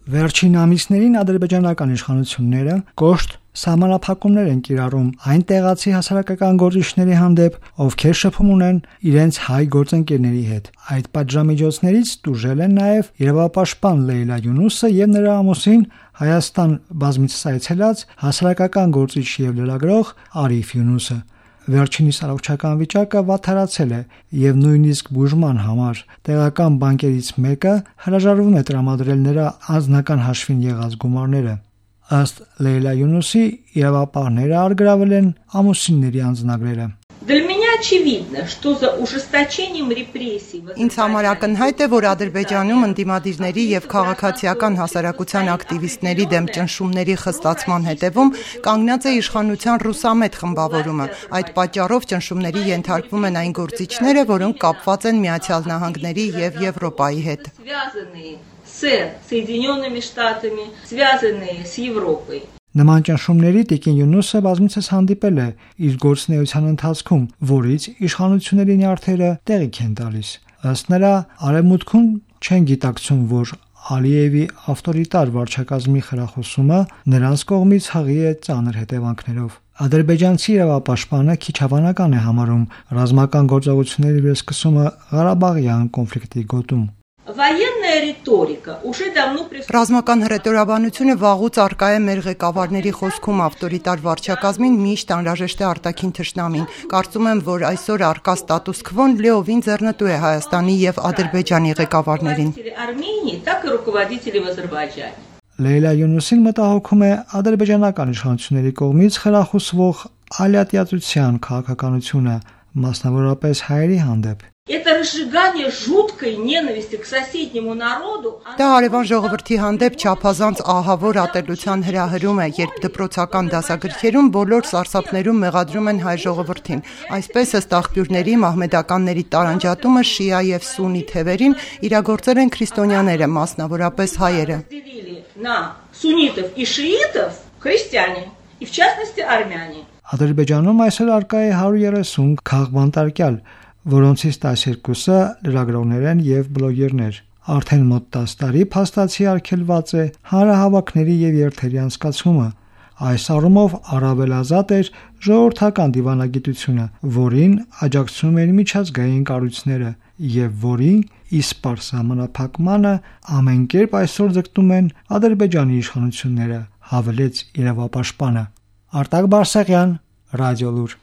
Վերջին ամիսներին ադրբեջանական իշխանությունները կոշտ սահմանափակումներ են կիրառում այն տեղացի հասարակական գործիչների հանդեպ, ովքեր շփում ունեն իրենց հայ գործընկերների հետ։ Այդ պատժամիջոցներից տուժել են նաև իրավապաշտպան Լեյլա Յունուսը եւ նրա ամուսին, Հայաստան բազմիցս այցելած հասարակական գործիչ եւ լրագրող Արիֆ Յունուսը։ Վերջինիս առողջական վիճակը վատթարացել է եւ նույնիսկ բուժման համար տեղական բանկերից մեկը հրաժարվում է տրամադրել նրա անձնական հաշվին եղած գումարները։ Ըստ Լեյլա Յունուսի, իրավապահները արգրավել են ամուսինների անձնագրերը։ Ինձ համար ակնհայտ է, որ Ադրբեջանում ընդդիմադիրների եւ քաղաքացիական հասարակության ակտիվիստների դեմ ճնշումների խստացման հետևում կանգնած է իշխանության ռուսամետ խմբավորումը։ Այդ պատճառով ճնշումների ենթարկվում են այն գործիչները, որոնք կապված են Միացյալ Նահանգների եւ Եվրոպայի հետ։ Նման ճնշումների տիկին Յունուսը բազմիցս հանդիպել է իր գործունեության ընթացքում, որից իշխանությունների նյարդերը տեղիք են տալիս։ Ըստ նրա, արևմուտքում չեն գիտակցում, որ Ալիևի ավտորիտար վարչակազմի խրախուսումը նրանց կողմից հղի է ծանր հետևանքներով։ Ադրբեջանցի իրավապաշտպանը քիչ հավանական է համարում ռազմական գործողությունների վերսկսումը Ղարաբաղյան կոնֆլիկտի գոտում։ Ռազմական հռետորաբանությունը վաղուց առկա է մեր ղեկավարների խոսքում, ավտորիտար վարչակազմին միշտ անհրաժեշտ է արտաքին թշնամին։ Կարծում եմ, որ այսօր առկա ստատուս քվոն լիովին ձեռնտու է Հայաստանի եւ Ադրբեջանի ղեկավարներին։ Լեյլա Յունուսին մտահոգում է ադրբեջանական իշխանությունների կողմից խրախուսվող ալյատիացության քաղաքականությունը, մասնավորապես հայերի հանդեպ։ Դա հարևան ժողովրդի հանդեպ չափազանց ահավոր ատելության հրահրում է, երբ դպրոցական դասագրքերում բոլոր սարսափներում մեղադրում են հայ ժողովրդին։ Այսպես, ըստ աղբյուրների, մահմեդականների տարանջատումը շիա եւ սուննի թևերին իրագործել են քրիստոնյաները, մասնավորապես հայերը։ Ադրբեջանում այսօր առկա է 130 քաղբանտարկյալ, որոնցից 12-ը լրագրողներ են եւ բլոգերներ։ Արդեն մոտ 10 տարի փաստացի արգելված է հանրահավաքների եւ երթերի անցկացումը։ Այս առումով առավելազատ էր ժողովրդական դիվանագիտությունը, որին աջակցում են միջազգային կառույցները եւ որին իսպար սահմանափակմանը ամեն կերպ այսօր ձգտում են Ադրբեջանի իշխանությունները, հավելեց իրավապաշտպանը։ Արտակ Բարսեղյան, Ռադիոլուր։